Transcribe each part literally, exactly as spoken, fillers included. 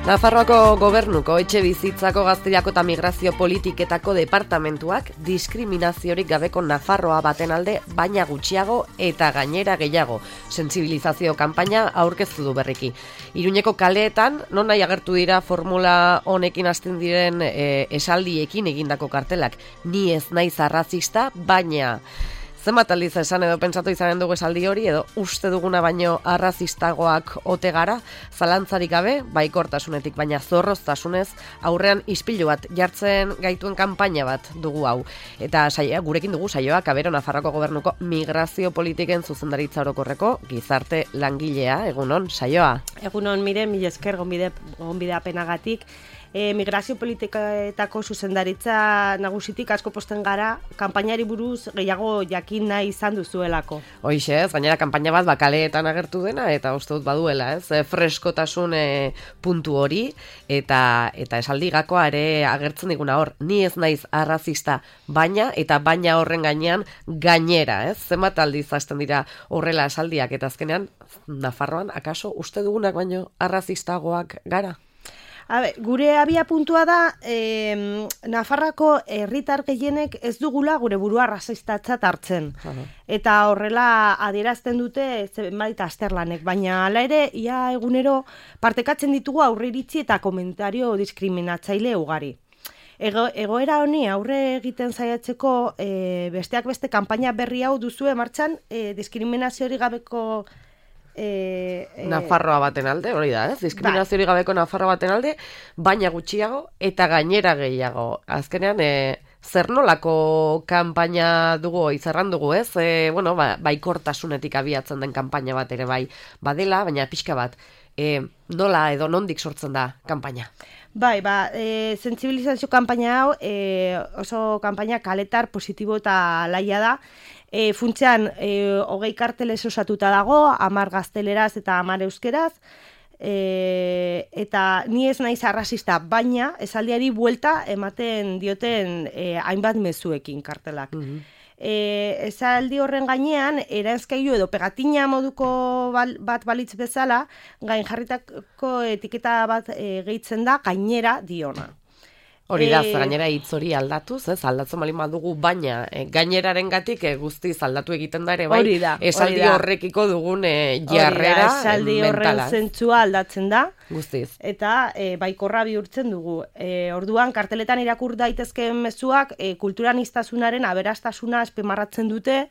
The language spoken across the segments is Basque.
Nafarroako gobernuko etxe bizitzako gazteriako eta migrazio politiketako departamentuak diskriminaziorik gabeko Nafarroa baten alde baina gutxiago eta gainera gehiago sentsibilizazio kanpaina aurkeztu du berriki. Iruñeko kaleetan non nahi agertu dira formula honekin hasten diren e, esaldiekin egindako kartelak. Ni ez naiz arrazista, baina zenbat aldiz esan edo pentsatu izanen dugu esaldi hori edo uste duguna baino arrazistagoak ote gara, zalantzarik gabe, baikortasunetik baina zorroztasunez, aurrean ispilu bat jartzen gaituen kanpaina bat dugu hau. Eta saia, gurekin dugu saioa Kabero Nafarroako gobernuko migrazio politiken zuzendaritza orokorreko gizarte langilea, egunon, saioa. Egunon, mire, mila esker gonbide, gonbidapenagatik. E, migrazio politiketako zuzendaritza nagusitik asko posten gara, kanpainari buruz gehiago jakin nahi izan duzuelako. Hoixe, ez, gainera kanpaina bat bakaleetan agertu dena, eta uste dut baduela, ez, e, freskotasun e, puntu hori, eta eta esaldi gakoa ere agertzen diguna hor, ni ez naiz arrazista, baina, eta baina horren gainean gainera, ez, zenbat aldiz hasten dira horrela esaldiak, eta azkenean, Nafarroan, akaso, uste dugunak baino arrazistagoak gara? Habe, gure abia puntua da, eh, Nafarrako herritar gehienek ez dugula gure burua arrazistatzat hartzen. Uh-huh. Eta horrela adierazten dute zenbait azterlanek, baina hala ere, ia egunero partekatzen ditugu aurreiritzi eta komentario diskriminatzaile ugari. Ego, egoera honi aurre egiten saiatzeko e, besteak beste kanpaina berri hau duzue martxan e, diskriminaziorik gabeko E, e, Nafarroa baten alde, hori da, ez? Diskriminaziorik gabeko Nafarroa baten alde, baina gutxiago eta gainera gehiago. Azkenean, e, zer nolako kanpaina dugu, izarran dugu, ez? E, bueno, ba, baikortasunetik abiatzen den kanpaina bat ere bai badela, baina pixka bat, e, nola edo nondik sortzen da kanpaina? Bai, ba, e, sentsibilizazio kanpaina hau e, oso kanpaina kaletar, positibo eta laia da. E, funtsean, e, hogei kartelez osatuta dago, hamar gazteleraz eta hamar euskeraz, e, eta ni ez naiz arrazista, baina esaldiari buelta ematen dioten e, hainbat mezuekin kartelak. Mm-hmm. E, esaldi horren gainean, eranzkailu edo pegatina moduko bal, bat balitz bezala, gain jarritako etiketa bat e, gehitzen da, gainera diona. Hori da, e... gainera hitz hori aldatuz, ez, aldatzen bali madugu, baina e, gaineraren gatik e, guztiz aldatu egiten da ere, bai, hori da, esaldi hori da. Horrekiko dugun e, jarrera da, esaldi horren zentzua aldatzen da, guztiz. Eta e, baikorra bihurtzen dugu. E, orduan, karteletan irakur daitezkeen mezuak e, kulturaniztasunaren aberastasuna azpimarratzen dute,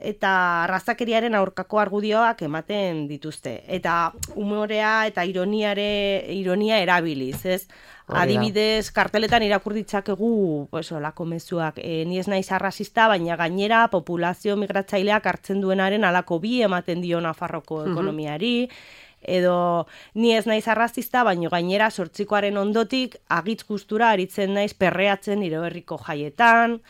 eta arrazakeriaren aurkako argudioak ematen dituzte. Eta humorea eta ironiare, ironia erabiliz, ez? Adibidez, karteletan irakur ditzakegu, pues, olako mezuak, e, ni ez naiz arrazista, baina gainera populazio migratzaileak hartzen duenaren alako bi ematen dio Nafarroko ekonomiari, edo ni ez naiz arrazista, baina gainera sortzikoaren ondotik agitz gustura aritzen naiz perreatzen nire herriko jaietan,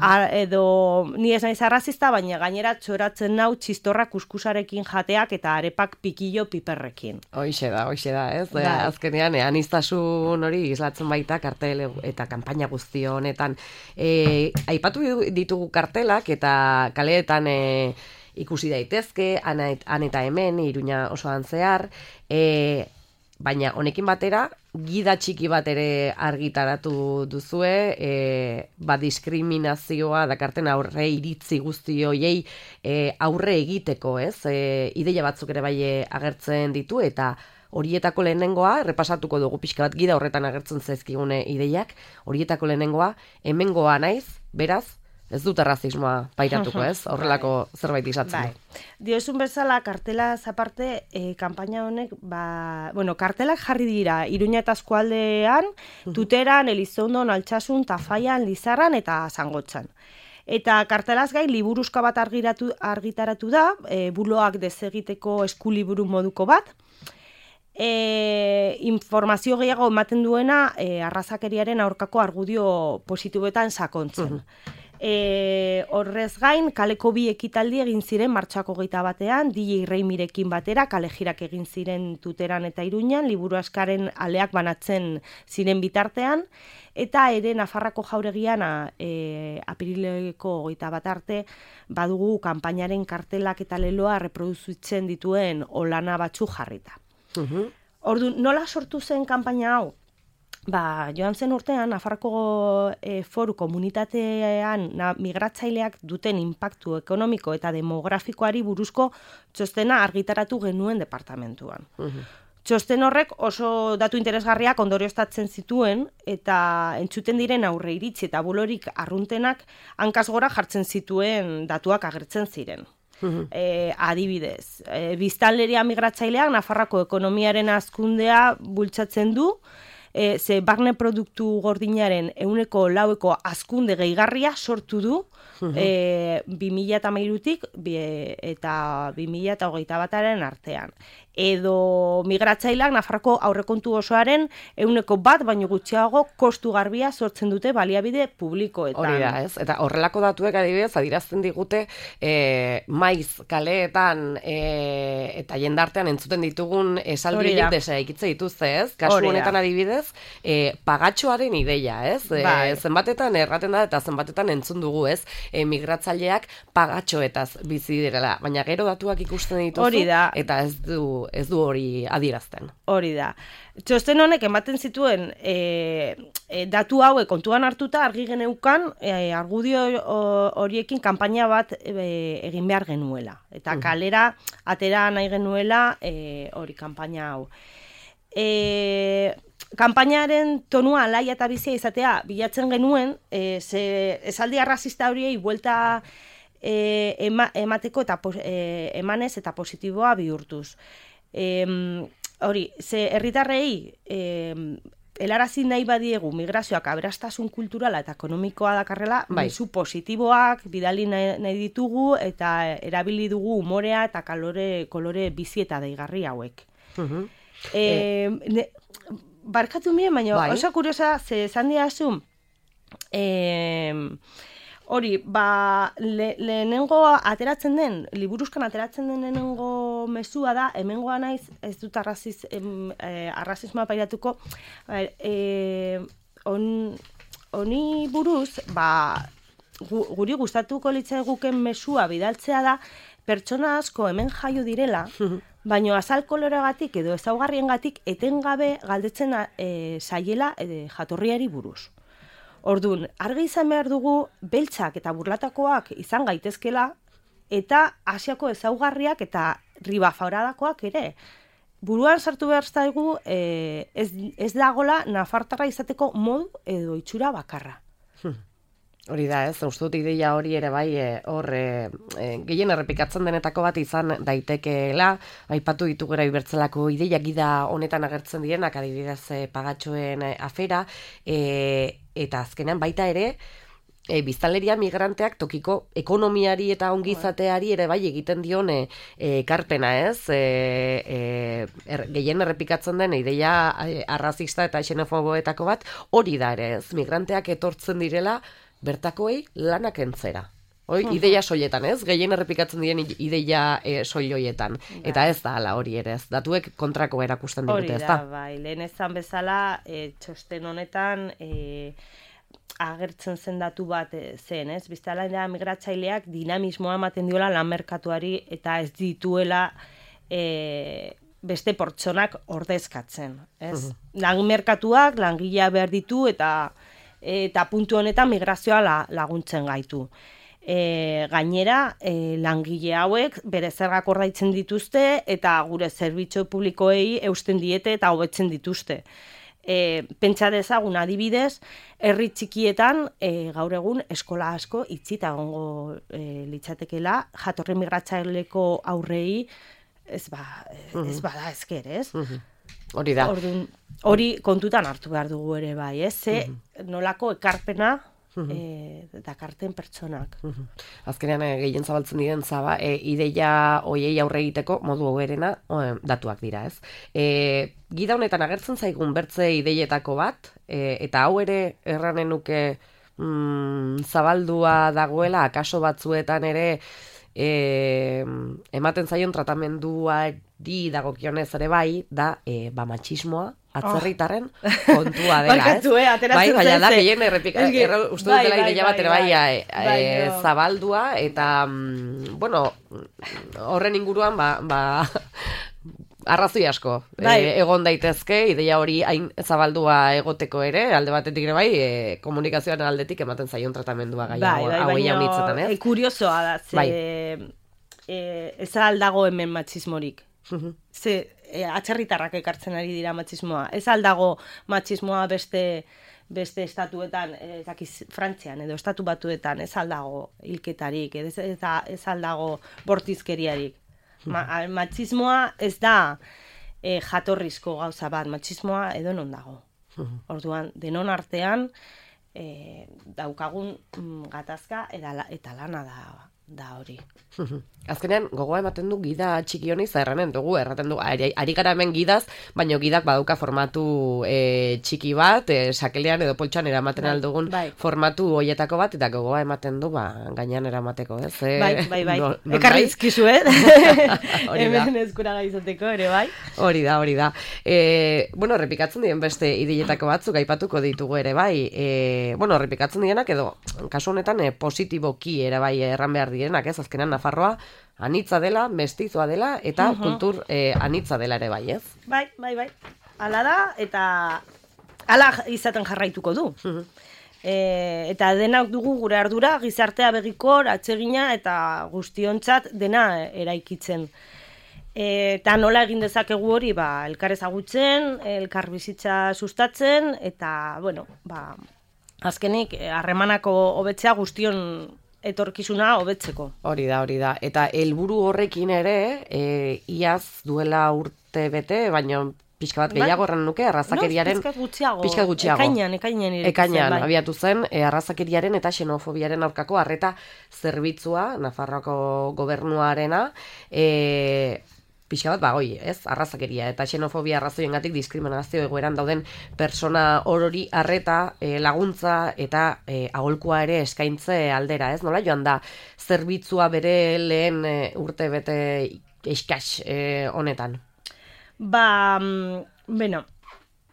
A, edo ni ez naiz arrazista, baina gainera txoratzen nau txistorra kuskusarekin jateak eta arepak pikillo piperrekin. Hoixe da, hoixe da, ez? Da, azkenean, aniztasun hori islatzen baita kartel eta kanpaina guzti honetan. E, aipatu ditugu kartelak eta kaleetan e, ikusi daitezke, han eta hemen, Iruña osoan zehar, e, baina honekin batera, gida txiki bat ere argitaratu duzue, e, ba diskriminazioa dakarten aurre iritzi guzti hoiei e, aurre egiteko, ez? E, ideia batzuk ere bai agertzen ditu, eta horietako lehenengoa, repasatuko dugu pixka bat gida horretan agertzen zaizkigune ideiak, horietako lehenengoa, hemengoa naiz, beraz, ez dut arrazismoa pairatuko, ez? Horrelako zerbait izatzen du. Diozun bezala, kartelaz aparte, e, kanpaina honek, ba, bueno, kartelak jarri dira, Iruña eta eskualdean, Tuteran, Elizondon, Altsasun, Tafaian, Lizarran eta Zangotxan. Eta kartelaz gain, liburuzka bat argiratu, argitaratu da, e, buloak desegiteko eskuliburu moduko bat, E, informazio gehiago ematen duena e, arrazakeriaren aurkako argudio positiboetan sakontzen. Uh-huh. E, horrez gain, kaleko bi ekitaldi egin ziren martxako geita batean, D J Reimirekin batera, kalejirak egin ziren Tuteran eta Iruñan, liburu askaren aleak banatzen ziren bitartean, eta ere Nafarrako jauregian e, apirileko geita bat arte, badugu kanpainaren kartelak eta leloa reproduzitzen dituen olana batzu jarrita. Uh-huh. ordu, nola sortu zen kanpaina hau? Ba, joan zen urtean, Nafarroko e, foru komunitatean na, migratzaileak duten inpaktu ekonomiko eta demografikoari buruzko txostena argitaratu genuen departamentuan. Uh-huh. Txosten horrek oso datu interesgarriak ondorioztatzen zituen eta entzuten diren aurre iritzi eta bulorik arruntenak hankaz gora jartzen zituen datuak agertzen ziren. Uh-huh. E, adibidez, e, biztanleria migratzaileak Nafarroako ekonomiaren hazkundea bultzatzen du, E, ze barne produktu gordinaren ehuneko laueko hazkunde gehigarria sortu du uh-huh. e, bi mila hamairutik eta bi mila hogeita bataren artean. Edo migratzaileak Nafarroko aurrekontu osoaren ehuneko bat baino gutxiago kostu garbia sortzen dute baliabide publikoetan. Hori da, ez? Eta horrelako datuek adibidez adirazten digute e, maiz kaleetan e, eta jendartean entzuten ditugun esaldiak desaikitze dituzte, ez? Kasu honetan adibidez, e, pagatxoaren ideia, ez? E, zenbatetan erraten da eta zenbatetan entzun dugu, ez? E, migratzaileak pagatxoetaz bizi direla, baina gero datuak ikusten dituzu eta ez du ez du hori adierazten. Hori da. Txosten honek ematen zituen e, e, datu haue kontuan hartuta argi geneukan e, argudio horiekin kanpaina bat e, egin behar genuela. Eta kalera atera nahi genuela e, hori kanpaina hau. E, kanpainaren tonua alaia eta bizia izatea bilatzen genuen, e, ze esaldi arrazista horiei buelta e, ema, emateko eta e, emanez eta positiboa bihurtuz. E, hori, ze herritarrei e, helarazi nahi badiegu migrazioak aberastasun kulturala eta ekonomikoa dakarrela, bai. Mezu positiboak bidali nahi, nahi ditugu eta erabili dugu umorea eta kalore, kolore bizi eta deigarri hauek. Uh-huh. e, e... Ne, barkatu mire, baina bai. Oso kuriosa, ze esan diazu, e, hori, ba, le, lehenengo ateratzen den, liburuzkan ateratzen den lehenengo mezua da, hemengoa naiz, ez dut arraziz, em, eh, arrazismoa pairatuko, eh, on, honi buruz, ba, gu, guri gustatuko litzaiguken mezua bidaltzea da, pertsona asko hemen jaio direla, baino azal koloregatik edo ezaugarriengatik etengabe galdetzen e, saiela e, jatorriari buruz. Ordun, argi izan behar dugu beltzak eta burlatakoak izan gaitezkela eta Asiako ezaugarriak eta ribafauradakoak ere. Buruan sartu behar zaigu e, ez, ez dagola nafartarra izateko modu edo itxura bakarra. Hori da, ez, uste dut ideia hori ere bai, hor, e, e, gehien errepikatzen denetako bat izan daitekeela, aipatu ditugera ibertzelako ideia gida honetan agertzen direnak, adibidez e, pagatxoen e, afera, e, eta azkenean baita ere, e, biztanleria migranteak tokiko ekonomiari eta ongizateari ere bai egiten dione ekarpena, ez? E, e, er, gehien errepikatzen den ideia e, arrazista eta xenofoboetako bat, hori da ere, ez? Migranteak etortzen direla, bertakoei lanak entzera. Hoi, uh-huh. Ideia soiletan, ez? Gehien errepikatzen diren ideia e, soiloietan. Bai. Eta ez da hala hori ere, ez? Datuek kontrako erakusten digute, ez da? Hori da, bai. Lehen ezan bezala, e, txosten honetan e, agertzen zen datu bat e, zen, ez? Biztala migratzaileak dinamismoa ematen diola lan merkatuari eta ez dituela e, beste pertsonak ordezkatzen, ez? Uh-huh. Lan merkatuak, langilea behar ditu eta eta puntu honetan migrazioa la, laguntzen gaitu. E, gainera, e, langile hauek bere zergak ordaitzen dituzte eta gure zerbitzu publikoei eusten diete eta hobetzen dituzte. E, pentsa dezagun adibidez, herri txikietan e, gaur egun eskola asko itxita egongo e, litzatekela, jatorri migratzaileko aurrei ez, ba, ez bada ezker, ez? Uh-huh. Hori da. Ordun, hori kontutan hartu behar dugu ere bai, ez? Ze uh-huh. nolako ekarpena uh-huh. e, dakarten pertsonak. Uh-huh. Azkenean e, gehien zabaltzen diren zaba, e, ideia hoiei aurre egiteko modu hoberena e, datuak dira, ez? E, gida honetan agertzen zaigun bertze ideietako bat, e, eta hau ere erranen nuke mm, zabaldua dagoela, akaso batzuetan ere E, ematen zaion tratamenduari dagokionez ere bai, da e, ba matxismoa atzerritarren oh. kontua dela, Barkatu, ez? Eh, bai, baina da, gehien errepika, uste dut dela ideia bat ere bai, bai, bai, bai e, no. zabaldua, eta, mm, bueno, horren inguruan, ba, ba arrazoi asko bai. e, egon daitezke, ideia hori hain zabaldua egoteko ere, alde batetik ere bai, e, komunikazioaren aldetik ematen zaion tratamendua gai bai, bai, hau jaunitzetan, ez? E, kuriosoa da, ze bai. e, ez aldago hemen matxismorik. Ze e, atxerritarrak ekartzen ari dira matxismoa. Ez aldago matxismoa beste beste estatuetan, ez dakiz, Frantzian edo estatu batuetan, ez aldago hilketarik, ez, ez, ez aldago bortizkeriarik. Ma, matxismoa ez da e, jatorrizko gauza bat, matxismoa edonon dago. Orduan, denon artean e, daukagun mm, gatazka eta, eta lana da, da hori. Azkenean, gogoa ematen du gida txiki honi zerranen dugu, erraten du, ari, ari gara hemen gidaz, baina gidak badauka formatu e, txiki bat, e, sakelean edo poltsan eramaten bai, aldugun bai. formatu hoietako bat, eta gogoa ematen du, ba, gainean eramateko, ez? E, bai, bai, bai, no, no, ekarri izkizu, eh? Hemen eskura gaizateko, ere, bai? Hori da, hori da. E, bueno, errepikatzen diren beste idiletako batzuk aipatuko ditugu ere, bai. E, bueno, errepikatzen direnak edo, kasu honetan, e, positiboki ere, bai, erran behar direnak, ez? Azkenean, Nafarroa, anitza dela, mestizoa dela, eta uh-huh. kultur eh, anitza dela ere bai, ez? Bai, bai, bai. Hala da, eta hala izaten jarraituko du. Uh-huh. E, eta denak dugu gure ardura, gizartea begikor, atsegina, eta guztiontzat dena eraikitzen. E, eta nola egin dezakegu hori, ba, elkar ezagutzen, elkar bizitza sustatzen, eta, bueno, ba, azkenik, harremanako hobetzea guztion etorkizuna hobetzeko. Hori da, hori da. Eta helburu horrekin ere, e, iaz duela urte bete, baina pixka bat gehiago erran nuke, arrazakeriaren... No, pixka gutxiago. Pixka gutxiago. Ekainan, ekainan irekitzen. Ekainan, bai. Abiatu zen, e, arrazakeriaren eta xenofobiaren aurkako arreta zerbitzua, Nafarroako gobernuarena, e, pixka bat, ba, oi, ez, arrazakeria eta xenofobia arrazoiengatik diskriminazio egoeran dauden persona orori arreta, e, laguntza eta e, aholkua ere eskaintze aldera, ez? Nola joan da zerbitzua bere lehen e, urte bete eskas e, honetan? Ba, bueno,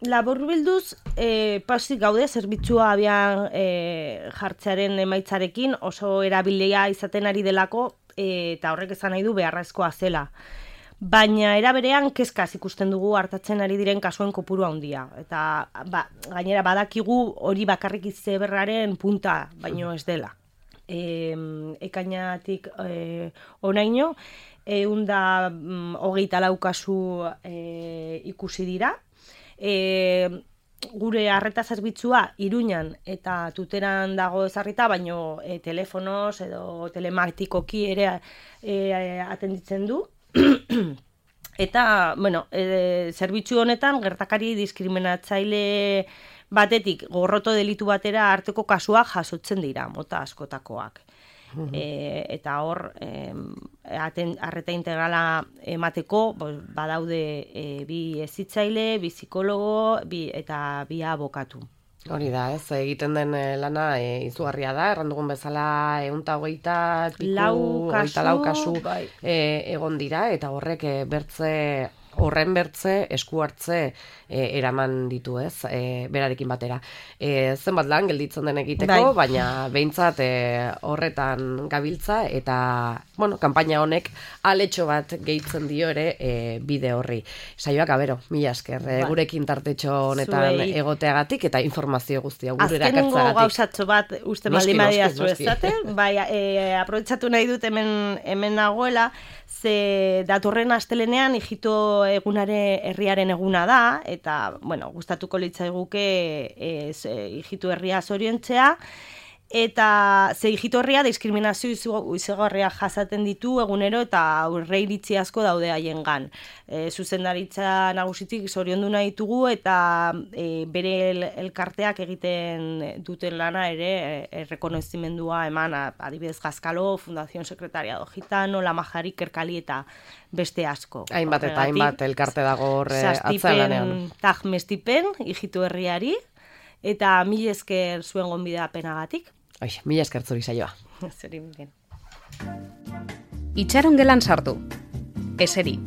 laburbilduz, e, pasik gaude zerbitzua abian e, jartzearen emaitzarekin oso erabilea izaten ari delako e, eta horrek esan nahi du beharrezkoa zela. Baina era berean kezkaz ikusten dugu hartatzen ari diren kasuen kopuru handia. Eta ba, gainera badakigu hori bakarrik izeberraren punta, baino ez dela. E, ekainatik e, onaino, ehun da hogeita lau kasu e, ikusi dira. E, gure arreta zerbitzua Iruñan eta Tuteran dago ezarrita, baino e, telefonoz edo telematikoki ere e, atenditzen du. Eta, bueno, e, zerbitzu honetan gertakari diskriminatzaile batetik gorroto delitu batera arteko kasuak jasotzen dira, mota askotakoak. Uh-huh. E, eta hor, e, aten, arreta integrala emateko, badaude e, bi hezitzaile, bi psikologo, bi, eta bi abokatu. Hori da, ez, egiten den lana e, izugarria da, errandugun bezala ehunta hogeita piku, hogeita lau kasu bai. e, egon dira, eta horrek e, bertze, horren bertze, esku hartze e, eraman ditu, ez, e, berarekin batera. E, zenbat lan gelditzen den egiteko, bai. Baina behintzat e, horretan gabiltza, eta, bueno, kanpaina honek aletxo bat gehitzen dio ere e, bide horri. Saioak, abero, mila esker, e, bai. Gurekin tartetxo honetan Zuei. Egoteagatik, eta informazio guztia gure erakartzagatik. Azkenengo gauzatxo bat uste maldi madia zuezate, bai, e, aprobetsatu nahi dut hemen, hemen nagoela, ze datorren astelenean hijito egunare herriaren eguna da, eta, bueno, gustatuko litzaiguke e, hijitu herria zoriontzea, eta ze hijitu herria diskriminazio izugarria jasaten ditu egunero eta aurre iritzi asko daude haiengan. E, zuzendaritza nagusitik zoriondu nahi ditugu eta e, bere el, elkarteak egiten duten lana ere errekonozimendua eman, adibidez Gazkalo, Fundación Secretariado Gitano, La Majari, Kerkali eta beste asko. Hainbat eta hainbat elkarte dago horre atzelanean. Tag mestipen, hijitu herriari, eta mil esker zuen gonbidapenagatik. Oi, mil esker zuri saioa. Zuri miren. Itxaron gelan sartu. Eseri.